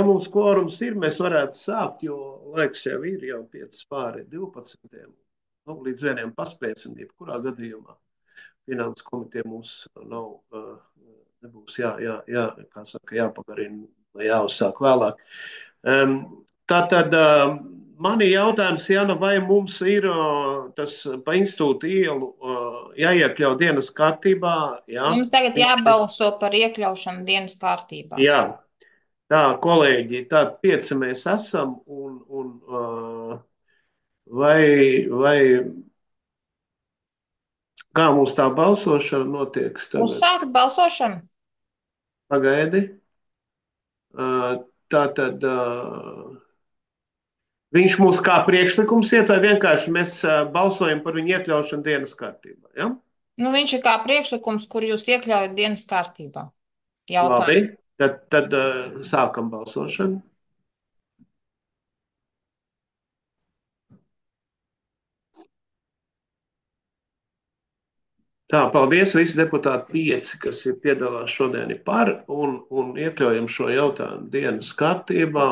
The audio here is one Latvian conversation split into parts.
Ja mums kvorums ir, mēs varētu sākt, jo laiks jau ir jau 5 pāri 12. Nu, līdz vieniem paspēsim, jebkurā gadījumā. Finanses komiteja mums nav, nebūs kā saka, jāpagarina vai jāuzsāk vēlāk. Tātad mani jautājums, Jana, vai mums ir tas pa institūtu ielu jāiekļaut dienas kārtībā? Jā, Mums tagad jābalso par iekļaušanu dienas kārtībā. jā. Tā, kolēģi, tādi 5 mēs esam, un vai kā mums tā balsošana notiek tagad? Uzsākt balsošanu? Pagaidi. Tā tad viņš mums kā priekšlikums iet, vai vienkārši mēs balsojam par viņu iekļaušanu dienas kārtībā? Ja? Nu, viņš ir kā priekšlikums, kur jūs iekļaujat dienas kārtībā. Labi, Jautājumu. tad sākam balsošanu. Tā, paldies visi deputāti 5, kas ir piedalās šodien ir par un iekļaujam šo jautājumu dienas kārtībā.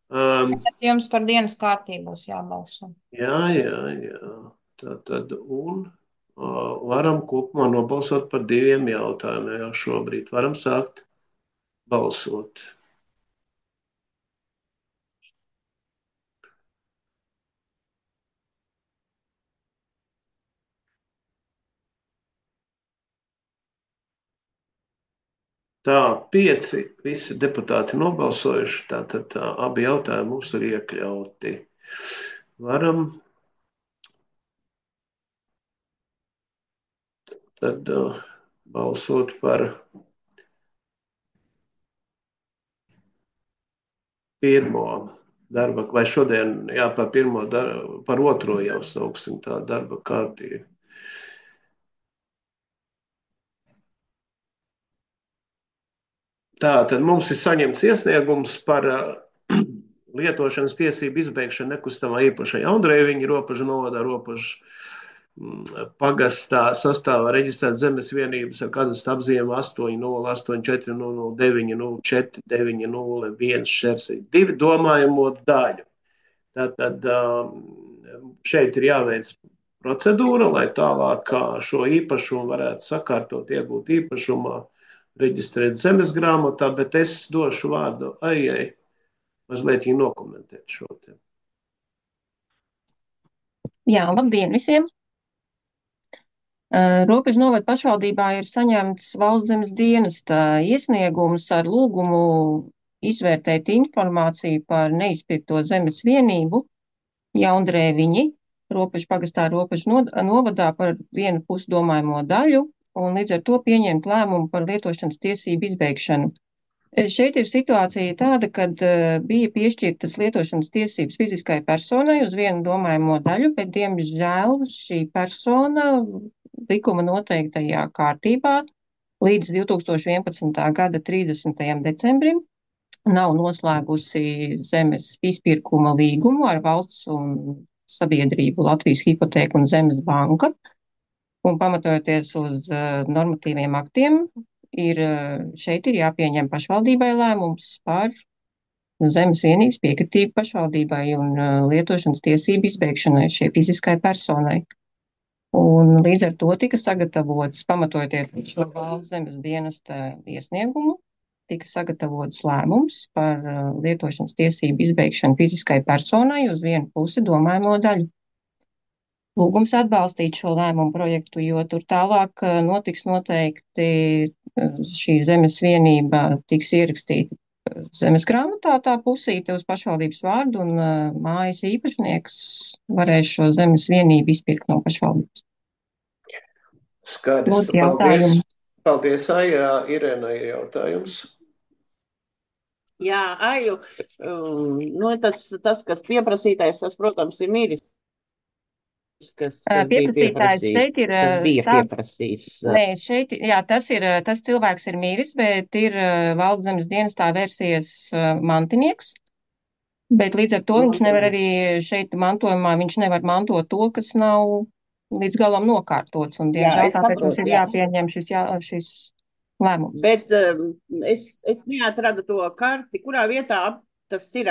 Tad jums par dienas kārtību būs jābalso. Jā. Tā tad varam kopumā nobalsot par 2 jautājumiem jau šobrīd. Varam sākt balsot. Tā, 5 visi deputāti nobalsojuši, tātad abi jautājumi mums ir iekļauti. Varam tad balsot par pirmo darba, vai šodien, jā, par pirmo, par otro jau sauksim tā darba kārtību. Tā tad mums ir saņemts iesniegums par lietošanas tiesību izbeigšanu nekustamā īpašā Jaundrēviņa robežu novadā robežu pagastā sastāvā reģistrētas zemes vienības ar kadastru apzīmēm 80840094901 domājamo daļu. Tātad šeit ir jāveic procedūra, lai tālāk šo īpašumu varētu sakārtot, iegūt īpašumā, reģistrēt zemes grāmatā, bet es došu vārdu Aijai mazliet nokomentēt šo te. Jā, labdien visiem! Robežu novada pašvaldībā ir saņemts Valsts zemes dienesta iesniegums ar lūgumu izvērtēt informāciju par neizpirkto zemes vienību Jaundrēviņi, robežu pagastā robežu novadā par vienu pusdomājamo daļu un līdz ar to pieņemt lēmumu par lietošanas tiesību izbeigšanu. Šeit ir situācija tāda, kad bija piešķirtas lietošanas tiesības fiziskai personai uz vienu domājamo daļu, bet, diemžēl, šī persona likuma noteiktajā kārtībā līdz 2011. gada 30. decembrim nav noslēgusi zemes izpirkuma līgumu ar valsts un sabiedrību Latvijas hipotēku un zemes banka, un pamatojoties uz normatīviem aktiem, šeit ir jāpieņem pašvaldībai lēmums par zemes vienības piekritību pašvaldībai un lietošanas tiesību izbeigšanai šai fiziskai personai. Un līdz ar to tika sagatavots, pamatojoties uz šo Valsts zemes dienesta iesniegumu, tika sagatavots lēmums par lietošanas tiesību izbeigšanu fiziskai personai uz vienu pusi domājamo daļu. Lūgums atbalstīt šo lēmumu projektu, jo tur tālāk notiks noteikti šī zemes vienība tiks ierakstīta zemes grāmatā tā pusīte uz pašvaldības vārdu un mājas īpašnieks varēs šo zemes vienību izpirkt no pašvaldības. Skaidrs, paldies. Paldies, Aija. Irēna ir jautājums. Jā, Aiju, tas, kas pieprasītais, tas, protams, ir miris. Kas Pieprasītājs šeit ir pieprasījis. Nē, šeit, jā, tas cilvēks ir miris, bet ir Valsts zemes dienestā vērsies mantinieks, bet līdz ar to viņš nevar arī šeit mantojumā, viņš nevar mantot to, kas nav līdz galam nokārtots, un diemžēl tāpēc mums ir jāpieņem šis lēmums. Bet es neatradu to karti, kurā vietā tas ir.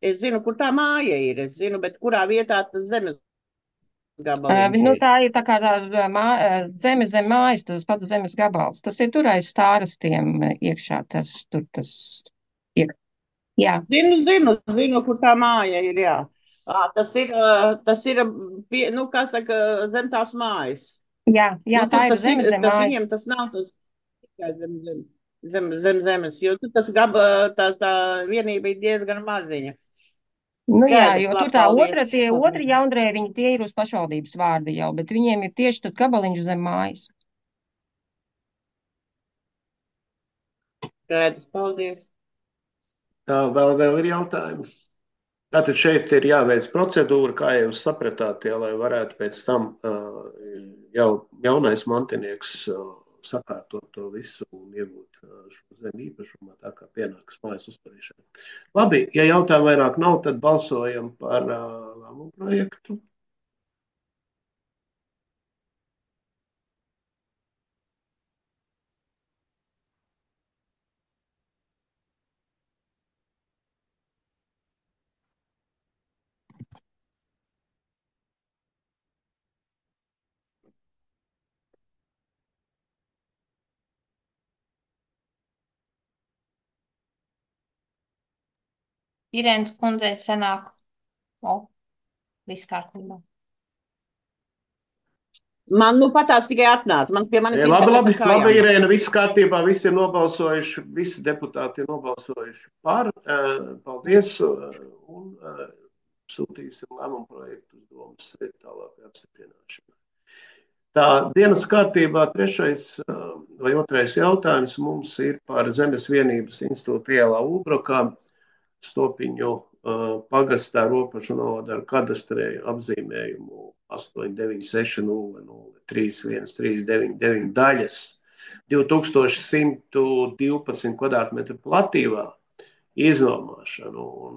Es zinu, kur tā māja ir, es zinu, bet kurā vietā tas zemes gabaliņš Nu, ir. tā ir tā kā tā zeme zem mājas, tas pats zemes gabals. Tas ir tur aiz stārastiem iekšā, tas ir. Jā, Zinu, kur tā māja ir, jā. Tas ir, nu, kā saka, zem tās mājas. jā, Nu, tā tur ir zeme zem tas mājas. viņiem tas nav tas tikai zem zemes, jo tur tā vienība ir diezgan maziņa. Nu jā, Skaidrs, jo tur labi, tā paldies. tie otri jaundrēji, viņi tie ir uz pašvaldības vārda jau, bet viņiem ir tieši tas gabaliņš zem mājas. Skaidrs, paldies. Tā vēl ir jautājumi. Tātad šeit ir jāveic procedūra, kā jūs sapratāt, ja, lai varētu pēc tam jau jaunais mantinieks sakārtot to visu un iegūt šo zemi īpašumā, tā kā pienāks mājas uzturēšana. Labi, ja jautājumu vairāk nav, tad balsojam par lēmumu projektu. Irēnas kundzei sanāk, o, viss kārtībā. Man nu patās tikai atnāca. Man pie manis Labi, kājām. Irēna, viss kārtībā, visi ir nobalsojuši, visi deputāti ir nobalsojuši par. Paldies, un sūtīsim lēmumu projektu uz domas sēdi tālākai apstiprināšanai. Tā dienas kārtībā trešais vai otrais jautājums mums ir par Zemes vienības institūtu ielā Ulbrokā, Stopiņu pagastā robežu novada ar kadastrēju apzīmējumu 896003139 daļas 2112 kvadrātmetru platībā iznomāšanu. Un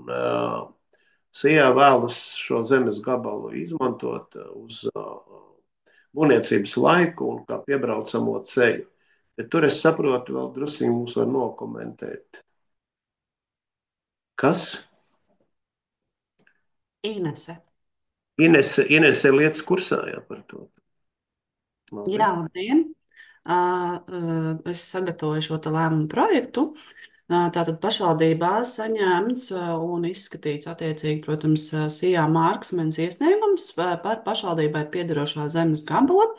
SIA vēlas šo zemes gabalu izmantot uz būvniecības laiku un kā piebraucamo ceļu. Bet tur es saprotu, vēl drusīgi mums var nokomentēt. Kas? Inese. Inese ir lietas kursā, jā, par to. Labi. Jā, labdien! Es sagatavoju šo te lēmumu projektu. Tātad pašvaldībā saņemts un izskatīts attiecīgi, protams, SIA Marksmens iesniegums par pašvaldībai piederošā zemes gabala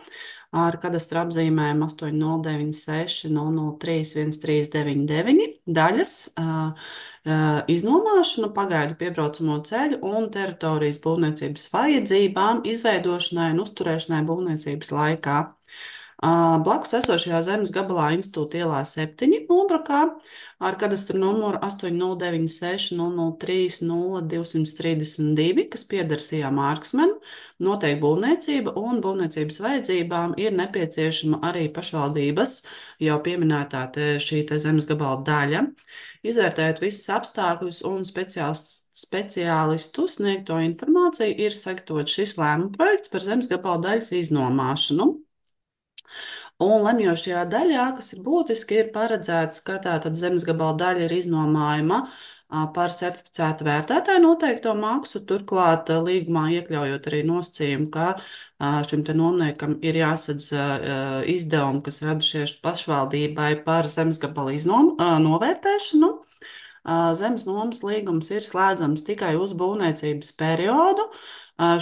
ar kadastra apzīmējumu 8096003139 daļas iznomāšanu, pagaidu piebraucamo ceļu un teritorijas būvniecības vajadzībām, izveidošanai un uzturēšanai būvniecības laikā. Blakus esošajā zemes gabalā Institūta ielā 7 Ulbrokā ar kadastru numuru 809600300232, kas pieder SIA Marksmenu, notiek būvniecība un būvniecības vajadzībām ir nepieciešama arī pašvaldības jau pieminētā šī te zemes gabala daļa. Izvērtējot visus apstākļus un speciālistu sniegto informāciju, ir sagatavots šis lēmuma projekts par zemes gabala daļas iznomāšanu. Un lemjošajā daļā, kas ir būtiski, ir paredzēts, ka tātad zemes gabala daļa ir iznomājama par certificētu vērtētāju noteikto maksu, turklāt līgumā iekļaujot arī nosacījumu, ka šim te nomniekam ir jāsadz izdevumi, kas radušies pašvaldībai par zemes gabala novērtēšanu. Zemes nomas līgums ir slēdzams tikai uz būvniecības periodu.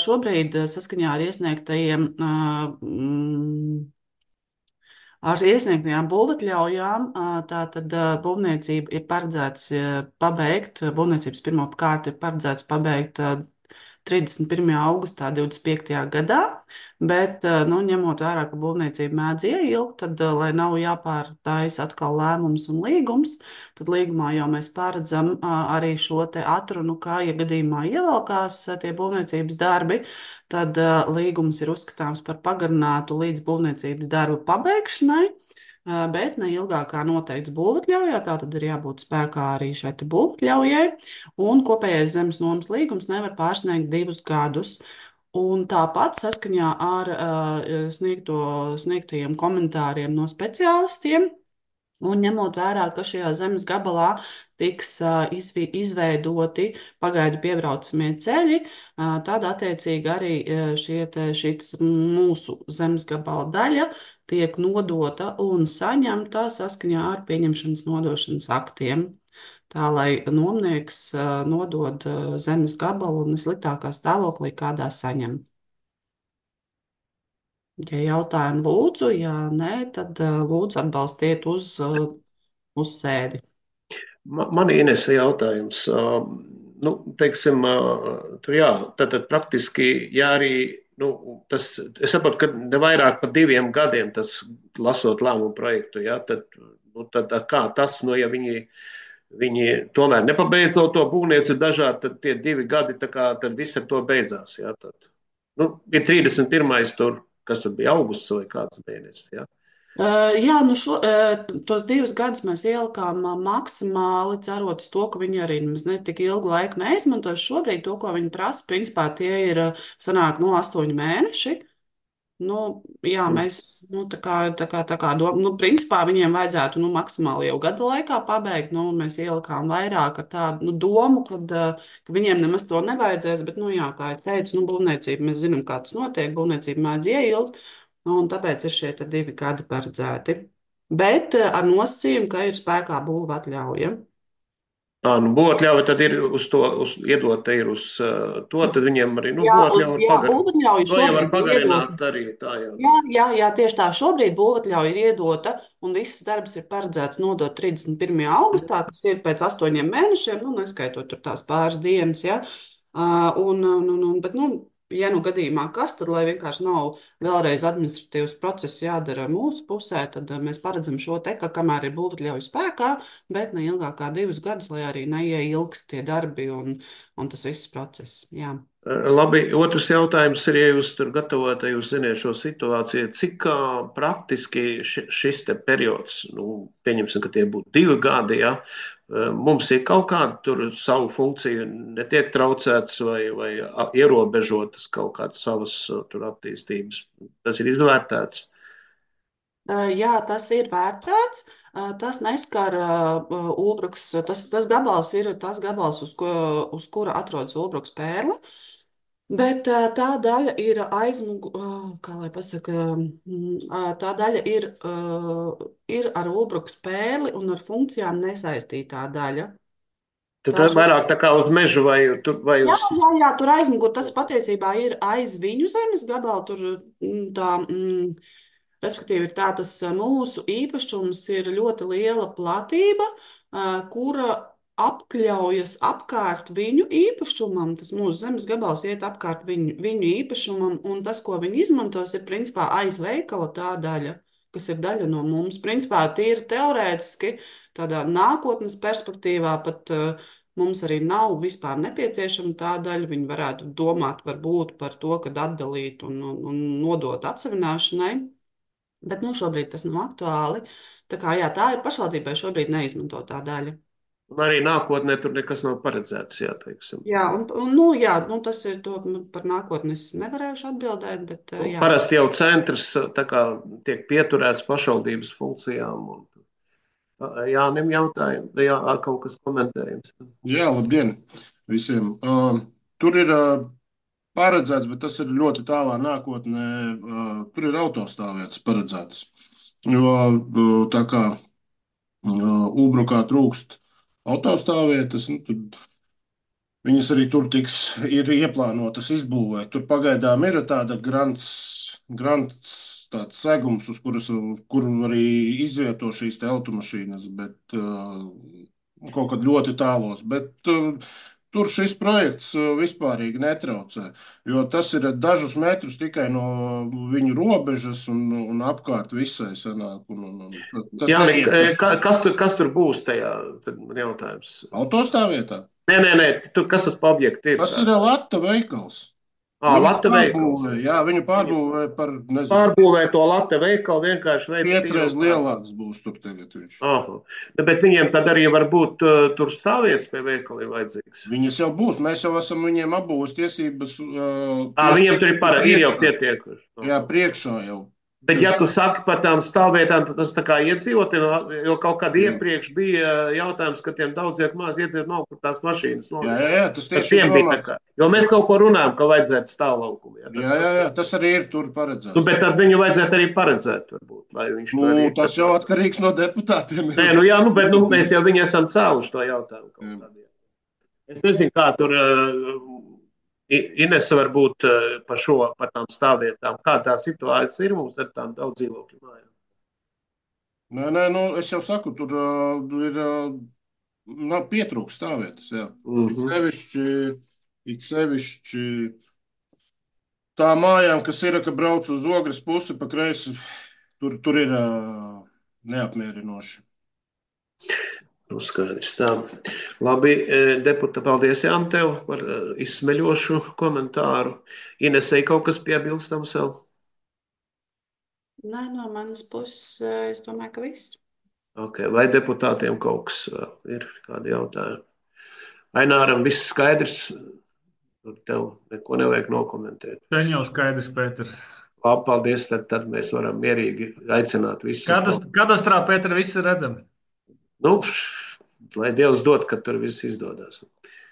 Šobrīd saskaņā ar iesniegtajām būvatļaujām, tātad būvniecība ir paredzēts pabeigt, būvniecības pirmo kārtu ir paredzēts pabeigt 31. augustā 25. gadā, bet, nu, ņemot vērā, ka būvniecība mēdz ieilgt, tad, lai nav jāpārtaisa atkal lēmums un līgums, tad līgumā jau mēs paredzam arī šo te atrunu, kā, ja gadījumā ievelkās tie būvniecības darbi, tad līgums ir uzskatāms par pagarinātu līdz būvniecības darbu pabeigšanai, bet ne ilgāk kā noteikts būvatļaujā, tā tad ir jābūt spēkā arī šai te būvatļaujai, un kopējais zemes nomas līgums nevar pārsniegt 2 gadus. Un tāpat saskaņā ar sniegtajiem komentāriem no speciālistiem Un ņemot vērā, ka šajā zemes gabalā tiks izveidoti pagaidu piebraucamie ceļi, tad attiecīgi arī šī mūsu zemes gabala daļa tiek nodota un saņemta saskaņā ar pieņemšanas nodošanas aktiem. Tā lai nomnieks nodod zemes gabalu nesliktākā stāvoklī, kādā saņem. Ja jautājumi lūdzu, ja nē, tad lūdzu atbalstiet uz sēdi. Man Inese jautājums. Nu, teiksim, tur jā, tad praktiski, ja arī, nu, tas, es saprotu, ka ne vairāk par 2 gadiem tas lasot lēmumu projektu, jā, tad, nu, tad kā tas, nu, ja viņi tomēr nepabeidzot to būvniecību dažādi, tad tie 2 gadi, tā kā, tad viss ar to beidzās, jā, tad, nu, ir 31. tur, kas tur bija augusts vai kāds mēnesis, jā. Jā, nu tos 2 gadus mēs ielikām maksimāli, cerot uz to, ka viņi arī ne tik ilgu laiku neizmantos. Šobrīd to, ko viņi prasa, principā tie ir sanāk no 8 mēneši. Nu, jā, mēs principā viņiem vajadzētu maksimāli jau gada laikā pabeigt. Mēs ielikām vairāk ar tādu domu, ka viņiem nemaz to nevajadzēs. Bet, jā, kā es teicu, būvniecība, mēs zinām, kā tas notiek. Būvniecība mēdz ieilgt. Un tāpēc ir šie 2 gadi paredzēti. Bet ar nosacījumu, ka ir spēkā būva atļauja. Nu, būvatļauja tad ir iedota ir uz to, tad viņiem arī, būvatļauja var pagarināt arī tā, jā. Jā, tieši tā. Šobrīd būvatļauja ir iedota, un viss darbs ir paredzēts nodot 31. augustā, kas ir pēc 8 mēnešiem, neskaitot tur tās pāris dienas, jā. Bet, ja gadījumā kas, tad, lai vienkārši nav vēlreiz administratīvs process jādara mūsu pusē, tad mēs paredzam šo te, ka kamēr ir būvatļauja spēkā, bet ne ilgāk kā 2 gadus, lai arī neieilgst tie darbi un tas viss process. Jā. Labi, otrs jautājums ir, ja jūs tur gatavojat, ja jūs ziniet šo situāciju, cik praktiski šis te periods, pieņemsim, ka tie būtu 2 gadi, ja, mums ir kaut kāda tur savu funkciju netiek traucētas vai ierobežotas kaut kādas savas tur attīstības. Tas ir izvērtēts. Jā, tas ir vērtēts. Tas neskar Ulbruks. Tas gabals ir tas gabals, uz kura atrodas Ulbruks pērle. Bet tā daļa ir kā lai pasaka, tā daļa ir ar Ulbruks pērli un ar funkcijām nesaistītā daļa. Tad vairāk tā kā uz mežu vai uz... Jā, tur aizmugur. Tas patiesībā ir aiz viņu zemes gabala. Tur respektīvi, ir tā, tas mūsu īpašums ir ļoti liela platība, kura apkļaujas apkārt viņu īpašumam. Tas mūsu zemes gabals iet apkārt viņu īpašumam, un tas, ko viņi izmantos, ir principā aiz veikala tā daļa, kas ir daļa no mums. Principā tīri teorētiski, tādā nākotnes perspektīvā pat mums arī nav vispār nepieciešama tā daļa. Viņi varētu domāt varbūt par to, kad atdalīt un nodot atsevināšanai. Bet šobrīd tas nav aktuāli. Tā kā jā, tā ir pašvaldībai šobrīd neizmantotā daļa. Un arī nākotnē tur nekas nav paredzēts, jā, teiksim. Jā, tas ir to par nākotni es nevarēšu atbildēt, bet jā. Parasti jau centrs tā kā tiek pieturēts pašvaldības funkcijām. Jānim jautājumu, jā, kaut kas komentējums. Jā, labdien visiem. Tur ir paredzēts, bet tas ir ļoti tālā nākotnē. Tur ir autostāvvietas paredzētas. Jo tā kā Ulbrukā trūkst autostāvvietas, tad viņas arī tur ir ieplānotas izbūvēt. Tur pagaidām ir tāda grants tāds segums, uz kuru arī izvieto šīs te automašīnas, bet kaut kad ļoti tālos. Bet tur šis projekts vispārīgi netraucē, jo tas ir dažus metrus tikai no viņu robežas un apkārt visai sanāk. Kas tur būs tajā? Tad man jautājums. Autostāvvietā? Nē, kas tas pa objektu ir? Tas ir Lata veikals. Lata veikals. Jā, viņu pārbūvē par, nezinu. Pārbūvē to Lata veikalu vienkārši veids. 5 reizes lielāks būs tur tagad viņš. Bet viņiem tad arī varbūt tur stāvvietas pie veikaliem vajadzīgs. Viņas jau būs. Mēs jau esam viņiem apbūves tiesības. Viņiem tur ir jau pietiekuši. Jā, priekšā jau. Bet, ja tu saki par tām stāvvietām, tad tas tā kā iedzīvotiem, jo kaut kad iepriekš bija jautājums, ka tiem daudziem maz iedzīvot nav, kur tās mašīnas nolikt. Tas Par tieši ir tiem bija tā domāts. kā. Jo mēs kaut ko runājam, ka vajadzētu stāvlaukumu. Jā, tas arī ir tur Nu, paredzēts. bet tad viņu vajadzētu arī paredzēt, varbūt, lai viņš to arī Tas jau atkarīgs no deputātiem. Nē, nu jā, bet mēs jau viņu esam cēluši to jautājumu kaut kādiem. Es nezinu, kā tur Inese var būt par tām stāvvietām. Kā tā situācija ir mums ar tām daudz dzīvokļu mājām? Nē, es jau saku, tur ir pietrūkst stāvvietas. Jā. It sevišķi tā mājām, kas ir, ka brauc uz Ogres pusi pa kreisi, tur ir neapmierinoši. Nu, skaidrs tā. Labi, deputāte, paldies Jāni tev par izsmeļošu komentāru. Inesei kaut kas piebilstams vēl? Nē, no manas puses, es domāju, ka viss. Okay. Vai deputātiem kaut kas ir, kādi jautājumi? Aināram viss skaidrs? Tev neko nevajag nokomentēt. Ten jau skaidrs, Pēter. Labi, paldies, tad mēs varam mierīgi aicināt visus. Kadastrā, Pēter, viss ir redzams. Nu, lai Dievs dod, ka tur viss izdodas.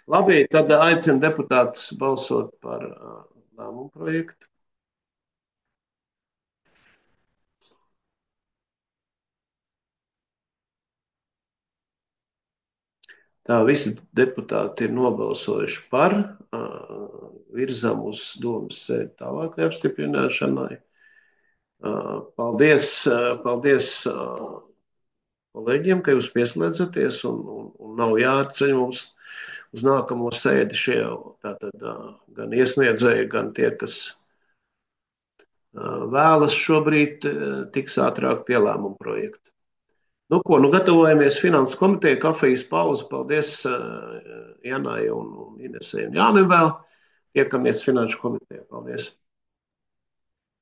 Labi, tad aicinu deputātus balsot par lēmumu projektu. Tā visi deputāti ir nobalsojuši par, virzam uz domas sēdi tālākai apstiprināšanai. Paldies kolēģiem, ka jūs pieslēdzaties un nav jāatceļ mums uz nākamo sēdi šie tātad gan iesniedzēji, gan tie, kas vēlas šobrīd tiks ātrāk pie lēmumu projekta. Nu, gatavojamies Finanses komiteja, kafijas pauze. Paldies Janai un Inesei un Jānim vēl. Tiekamies Finanšu komitejā. Paldies!